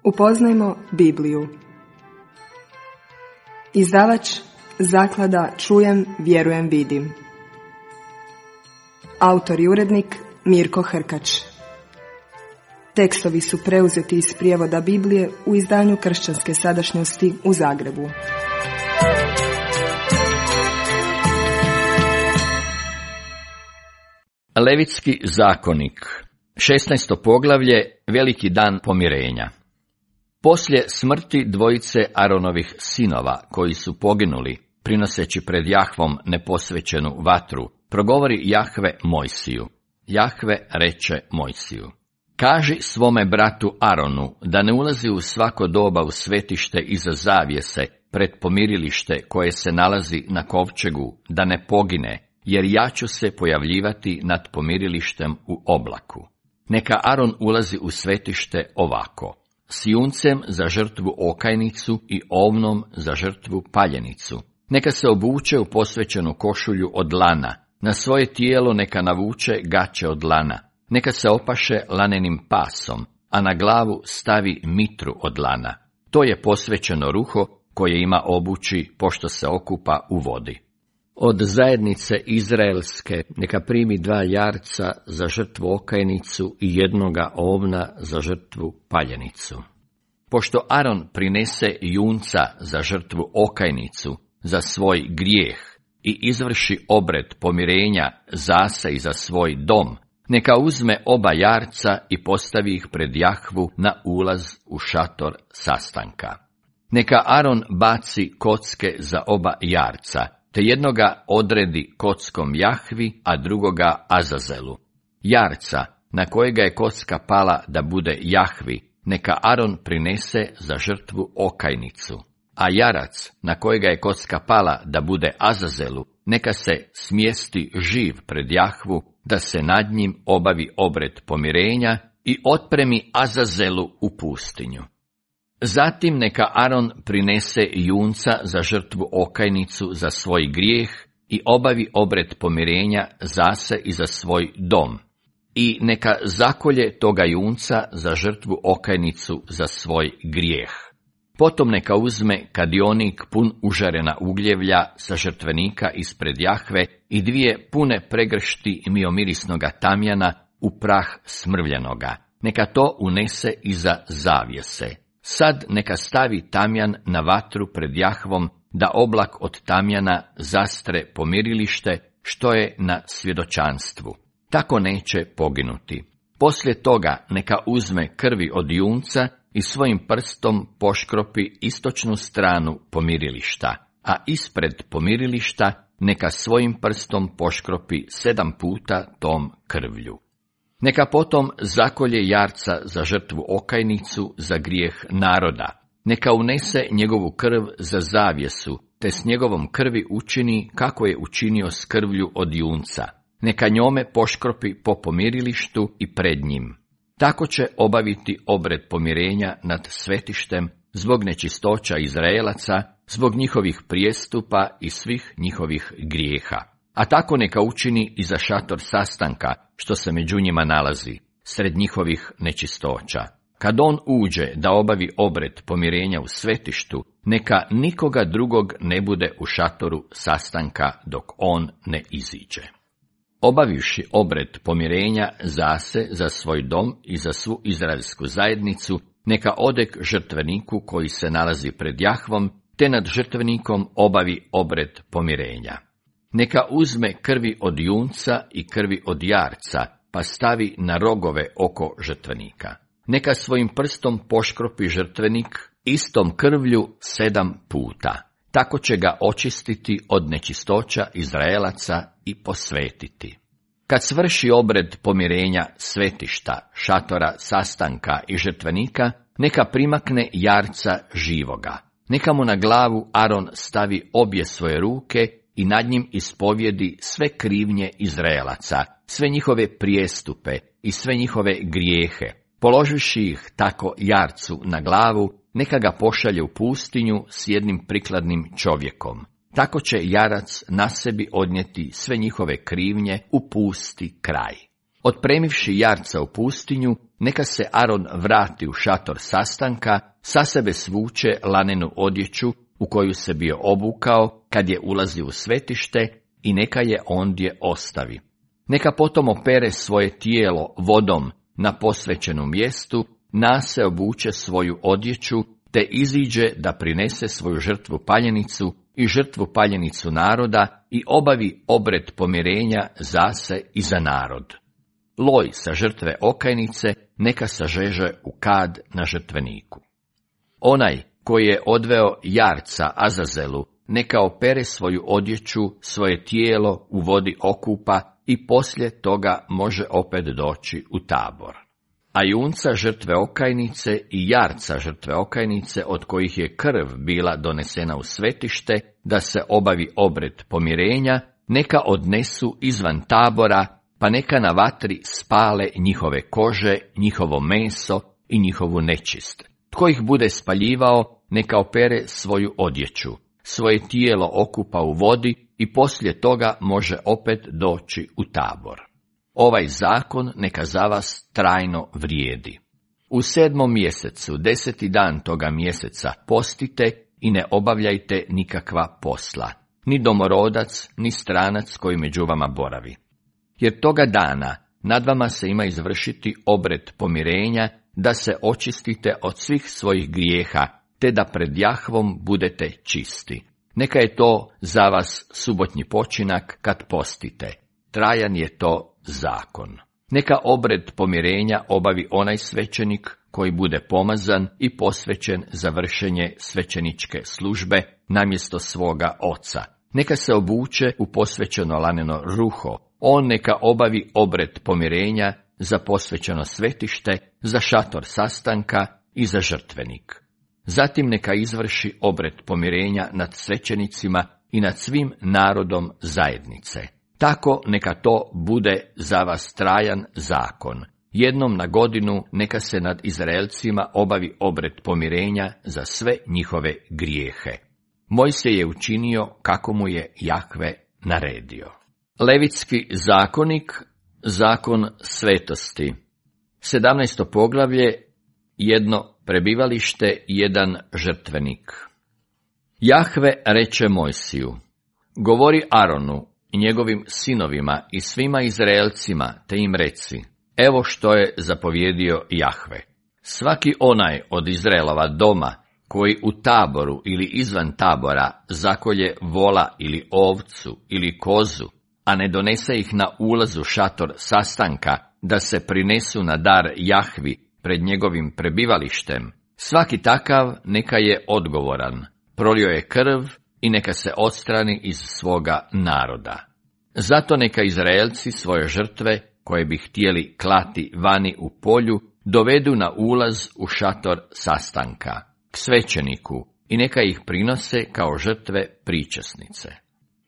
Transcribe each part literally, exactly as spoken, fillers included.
Upoznajmo Bibliju. Izdavač Zaklada Čujem, vjerujem, vidim. Autor i urednik Mirko Hrkač. Tekstovi su preuzeti iz prijevoda Biblije u izdanju Kršćanske sadašnjosti u Zagrebu. Levitski zakonik, šesnaesto poglavlje, veliki dan pomirenja. Poslije smrti dvojice Aronovih sinova, koji su poginuli, prinoseći pred Jahvom neposvećenu vatru, progovori Jahve Mojsiju. Jahve reče Mojsiju: kaži svome bratu Aronu da ne ulazi u svako doba u svetište iza zavjese pred pomirilište koje se nalazi na kovčegu, da ne pogine, jer ja ću se pojavljivati nad pomirilištem u oblaku. Neka Aron ulazi u svetište ovako: s juncem za žrtvu okajnicu i ovnom za žrtvu paljenicu. Neka se obuče u posvećenu košulju od lana, na svoje tijelo neka navuče gaće od lana, neka se opaše lanenim pasom, a na glavu stavi mitru od lana. To je posvećeno ruho koje ima obući pošto se okupa u vodi. Od zajednice izraelske neka primi dva jarca za žrtvu okajnicu i jednoga ovna za žrtvu paljenicu. Pošto Aron prinese junca za žrtvu okajnicu za svoj grijeh i izvrši obred pomirenja zase i za svoj dom, neka uzme oba jarca i postavi ih pred Jahvu na ulaz u šator sastanka. Neka Aron baci kocke za oba jarca, te jednoga odredi kockom Jahvi, a drugoga Azazelu. Jarca, na kojega je kocka pala da bude Jahvi, neka Aron prinese za žrtvu okajnicu, a jarac, na kojega je kocka pala da bude Azazelu, neka se smjesti živ pred Jahvu, da se nad njim obavi obred pomirenja i otpremi Azazelu u pustinju. Zatim neka Aron prinese junca za žrtvu okajnicu za svoj grijeh i obavi obred pomirenja zase i za svoj dom. I neka zakolje toga junca za žrtvu okajnicu za svoj grijeh. Potom neka uzme kadionik pun užarena ugljevlja sa žrtvenika ispred Jahve i dvije pune pregršti miomirisnoga tamjana u prah smrvljenoga. Neka to unese iza zavjese. Sad neka stavi tamjan na vatru pred Jahvom, da oblak od tamjana zastre pomirilište što je na svjedočanstvu. Tako neće poginuti. Poslije toga neka uzme krvi od junca i svojim prstom poškropi istočnu stranu pomirilišta, a ispred pomirilišta neka svojim prstom poškropi sedam puta tom krvlju. Neka potom zakolje jarca za žrtvu okajnicu za grijeh naroda. Neka unese njegovu krv za zavjesu, te s njegovom krvi učini kako je učinio s krvlju od junca. Neka njome poškropi po pomirilištu i pred njim. Tako će obaviti obred pomirenja nad svetištem zbog nečistoća Izraelaca, zbog njihovih prijestupa i svih njihovih grijeha. A tako neka učini i za šator sastanka, što se među njima nalazi, sred njihovih nečistoća. Kad on uđe da obavi obred pomirenja u svetištu, neka nikoga drugog ne bude u šatoru sastanka dok on ne iziđe. Obavivši obred pomirenja zase za svoj dom i za svu izraelsku zajednicu, neka ode k žrtveniku koji se nalazi pred Jahvom, te nad žrtvenikom obavi obred pomirenja. Neka uzme krvi od junca i krvi od jarca, pa stavi na rogove oko žrtvenika. Neka svojim prstom poškropi žrtvenik istom krvlju sedam puta. Tako će ga očistiti od nečistoća Izraelaca i posvetiti. Kad svrši obred pomirenja svetišta, šatora sastanka i žrtvenika, neka primakne jarca živoga. Neka mu na glavu Aron stavi obje svoje ruke i nad njim ispovjedi sve krivnje Izraelaca, sve njihove prijestupe i sve njihove grijehe. Položivši ih tako jarcu na glavu, neka ga pošalje u pustinju s jednim prikladnim čovjekom. Tako će jarac na sebi odnijeti sve njihove krivnje u pusti kraj. Otpremivši jarca u pustinju, neka se Aron vrati u šator sastanka, sa sebe svuče lanenu odjeću u koju se bio obukao kad je ulazio u svetište i neka je ondje ostavi. Neka potom opere svoje tijelo vodom na posvećenom mjestu, nase obuče svoju odjeću, te iziđe da prinese svoju žrtvu paljenicu i žrtvu paljenicu naroda i obavi obred pomirenja za se i za narod. Loj sa žrtve okajnice neka sažeže u kad na žrtveniku. Onaj koji je odveo jarca Azazelu, neka opere svoju odjeću, svoje tijelo u vodi okupa i poslije toga može opet doći u tabor. A junca žrtve okajnice i jarca žrtve okajnice, od kojih je krv bila donesena u svetište, da se obavi obred pomirenja, neka odnesu izvan tabora, pa neka na vatri spale njihove kože, njihovo meso i njihovu nečist. Tko ih bude spaljivao, neka opere svoju odjeću, svoje tijelo okupa u vodi i poslije toga može opet doći u tabor. Ovaj zakon neka za vas trajno vrijedi. U sedmom mjesecu, deseti dan toga mjeseca, postite i ne obavljajte nikakva posla, ni domorodac, ni stranac koji među vama boravi. Jer toga dana nad vama se ima izvršiti obred pomirenja, da se očistite od svih svojih grijeha, te da pred Jahvom budete čisti. Neka je to za vas subotnji počinak kad postite. Trajan je to zakon. Neka obred pomirenja obavi onaj svećenik koji bude pomazan i posvećen za vršenje svećeničke službe namjesto svoga oca. Neka se obuče u posvećeno laneno ruho. On neka obavi obred pomirenja za posvećeno svetište, za šator sastanka i za žrtvenik. Zatim neka izvrši obred pomirenja nad svećenicima i nad svim narodom zajednice. Tako neka to bude za vas trajan zakon. Jednom na godinu neka se nad Izraelcima obavi obred pomirenja za sve njihove grijehe. Mojsije je učinio kako mu je Jahve naredio. Levitski zakonik, zakon svetosti. sedamnaesto poglavlje, jedno prebivalište, jedan žrtvenik. Jahve reče Mojsiju: govori Aronu i njegovim sinovima i svima Izraelcima, te im reci: evo što je zapovjedio Jahve. Svaki onaj od Izraelova doma koji u taboru ili izvan tabora zakolje vola ili ovcu ili kozu, a ne donese ih na ulazu šator sastanka, da se prinesu na dar Jahvi pred njegovim prebivalištem, svaki takav neka je odgovoran, prolio je krv i neka se odstrani iz svoga naroda. Zato neka Izraelci svoje žrtve, koje bi htjeli klati vani u polju, dovedu na ulaz u šator sastanka, k svećeniku, i neka ih prinose kao žrtve pričasnice.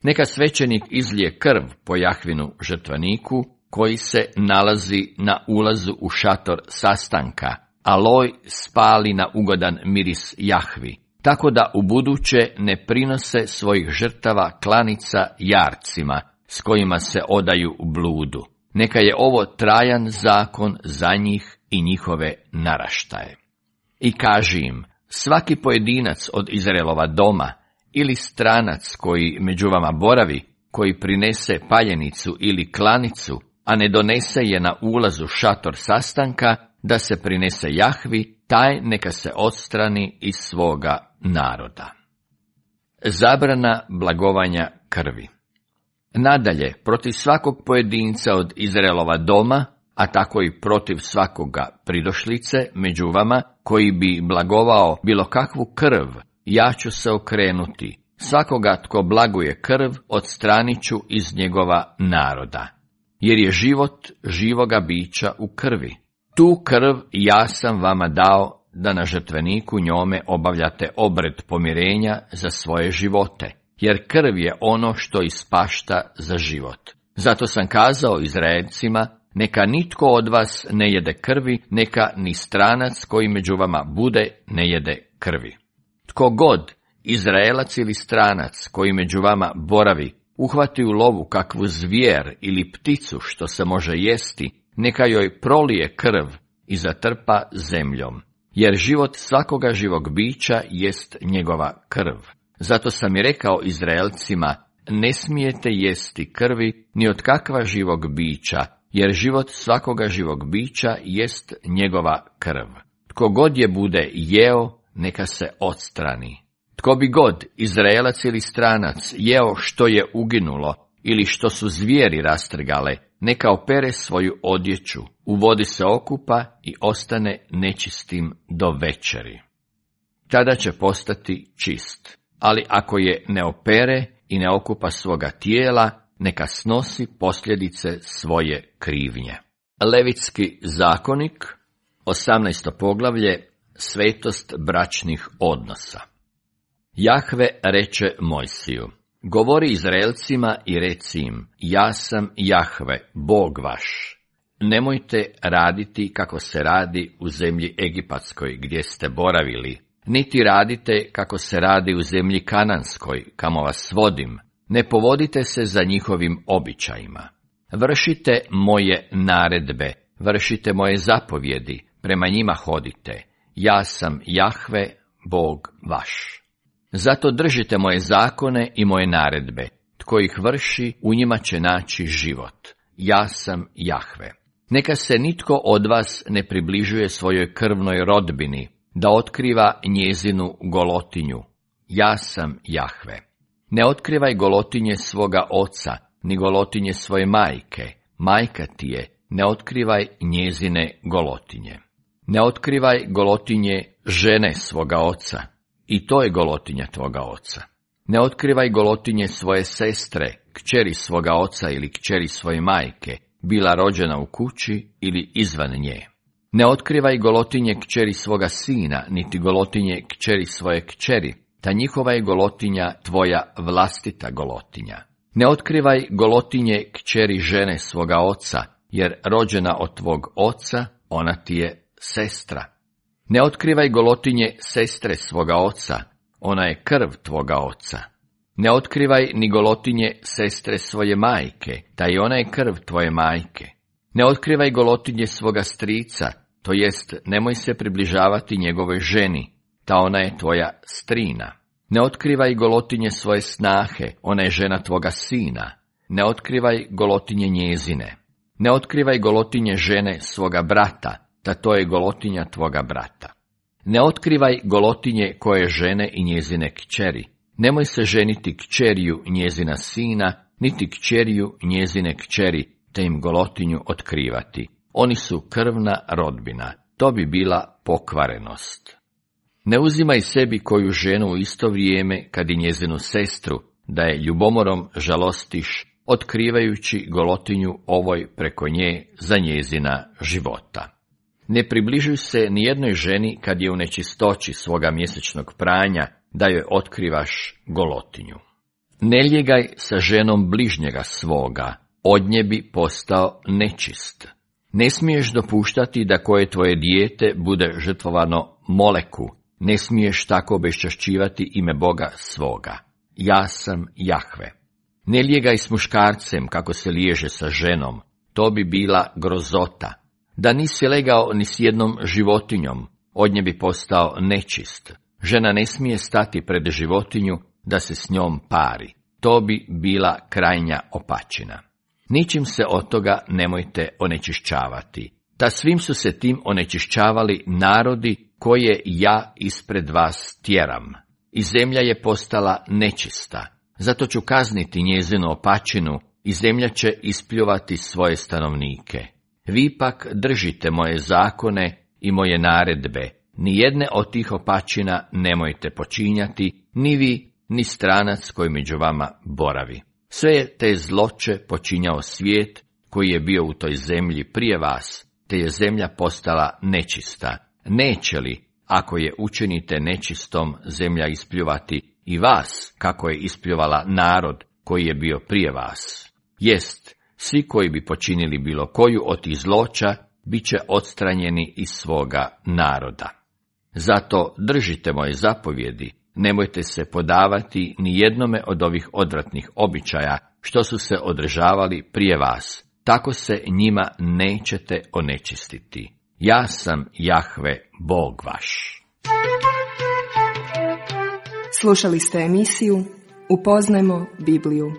Neka svećenik izlije krv po Jahvinu žrtveniku, koji se nalazi na ulazu u šator sastanka, a loj spali na ugodan miris Jahvi, tako da ubuduće ne prinose svojih žrtava klanica jarcima, s kojima se odaju u bludu. Neka je ovo trajan zakon za njih i njihove naraštaje. I kaži im: svaki pojedinac od Izraelova doma ili stranac koji među vama boravi, koji prinese paljenicu ili klanicu, a ne donese je na ulazu šator sastanka, da se prinese Jahvi, taj neka se odstrani iz svoga naroda. Zabrana blagovanja krvi. Nadalje, protiv svakog pojedinca od Izraelova doma, a tako i protiv svakoga pridošlice među vama, koji bi blagovao bilo kakvu krv, ja ću se okrenuti. Svakoga tko blaguje krv, odstranit ću iz njegova naroda. Jer je život živoga bića u krvi. Tu krv ja sam vama dao, da na žrtveniku njome obavljate obred pomirenja za svoje živote, jer krv je ono što ispašta za život. Zato sam kazao Izraelcima: neka nitko od vas ne jede krvi, neka ni stranac koji među vama bude ne jede krvi. Tko god, Izraelac ili stranac koji među vama boravi, uhvati u lovu kakvu zvijer ili pticu što se može jesti, neka joj prolije krv i zatrpa zemljom, jer život svakoga živog bića jest njegova krv. Zato sam i rekao Izraelcima, ne smijete jesti krvi ni od kakva živog bića, jer život svakoga živog bića jest njegova krv. Tko god je bude jeo, neka se odstrani. Tko bi god, Izraelac ili stranac, jeo što je uginulo ili što su zvijeri rastrgale, neka opere svoju odjeću, u vodi se okupa i ostane nečistim do večeri. Tada će postati čist, ali ako je ne opere i ne okupa svoga tijela, neka snosi posljedice svoje krivnje. Levitski zakonik, osamnaesto poglavlje, svetost bračnih odnosa. Jahve reče Mojsiju, govori Izraelcima i reci im, ja sam Jahve, Bog vaš. Nemojte raditi kako se radi u zemlji Egipatskoj, gdje ste boravili, niti radite kako se radi u zemlji Kananskoj, kamo vas vodim. Ne povodite se za njihovim običajima. Vršite moje naredbe, vršite moje zapovjedi, prema njima hodite. Ja sam Jahve, Bog vaš. Zato držite moje zakone i moje naredbe. Tko ih vrši, u njima će naći život. Ja sam Jahve. Neka se nitko od vas ne približuje svojoj krvnoj rodbini, da otkriva njezinu golotinju. Ja sam Jahve. Ne otkrivaj golotinje svoga oca, ni golotinje svoje majke. Majka ti je, ne otkrivaj njezine golotinje. Ne otkrivaj golotinje žene svoga oca, i to je golotinja tvoga oca. Ne otkrivaj golotinje svoje sestre, kćeri svoga oca ili kćeri svoje majke, bila rođena u kući ili izvan nje. Ne otkrivaj golotinje kćeri svoga sina, niti golotinje kćeri svoje kćeri, ta njihova je golotinja tvoja vlastita golotinja. Ne otkrivaj golotinje kćeri žene svoga oca, jer rođena od tvog oca, ona ti je sestra. Ne otkrivaj golotinje sestre svoga oca, ona je krv tvoga oca. Ne otkrivaj ni golotinje sestre svoje majke, ta i ona je krv tvoje majke. Ne otkrivaj golotinje svoga strica, to jest nemoj se približavati njegovoj ženi, ta ona je tvoja strina. Ne otkrivaj golotinje svoje snahe, ona je žena tvoga sina. Ne otkrivaj golotinje njezine. Ne otkrivaj golotinje žene svoga brata, ta to je golotinja tvoga brata. Ne otkrivaj golotinje koje žene i njezine kćeri. Nemoj se ženiti kćeriju njezina sina, niti kćeriju njezine kćeri, te im golotinju otkrivati. Oni su krvna rodbina, to bi bila pokvarenost. Ne uzimaj sebi koju ženu u isto vrijeme, kad i njezinu sestru, da je ljubomorom žalostiš, otkrivajući golotinju ovoj preko nje za njezina života. Ne približuj se ni jednoj ženi kad je u nečistoći svoga mjesečnog pranja, da joj otkrivaš golotinju. Ne ljegaj sa ženom bližnjega svoga, od nje bi postao nečist. Ne smiješ dopuštati da koje tvoje dijete bude žrtvovano Moleku, ne smiješ tako obeščašćivati ime Boga svoga. Ja sam Jahve. Ne ljegaj s muškarcem kako se liježe sa ženom, to bi bila grozota. Da nisi legao ni s jednom životinjom, od nje bi postao nečist. Žena ne smije stati pred životinju da se s njom pari. To bi bila krajnja opačina. Ničim se od toga nemojte onečišćavati. Ta svim su se tim onečišćavali narodi koje ja ispred vas tjeram. I zemlja je postala nečista. Zato ću kazniti njezinu opačinu i zemlja će ispljuvati svoje stanovnike. Vi pak držite moje zakone i moje naredbe. Nijedne od tih opačina nemojte počinjati, ni vi, ni stranac koji među vama boravi. Sve je te zloće počinjao svijet koji je bio u toj zemlji prije vas, te je zemlja postala nečista. Neće li, ako je učinite nečistom, zemlja ispljuvati i vas, kako je ispljuvala narod koji je bio prije vas? Jest, svi koji bi počinili bilo koju od tih zloća, bit će odstranjeni iz svoga naroda. Zato držite moje zapovjedi, nemojte se podavati ni jednome od ovih odvratnih običaja, što su se održavali prije vas, tako se njima nećete onečistiti. Ja sam Jahve, Bog vaš. Slušali ste emisiju Upoznajmo Bibliju.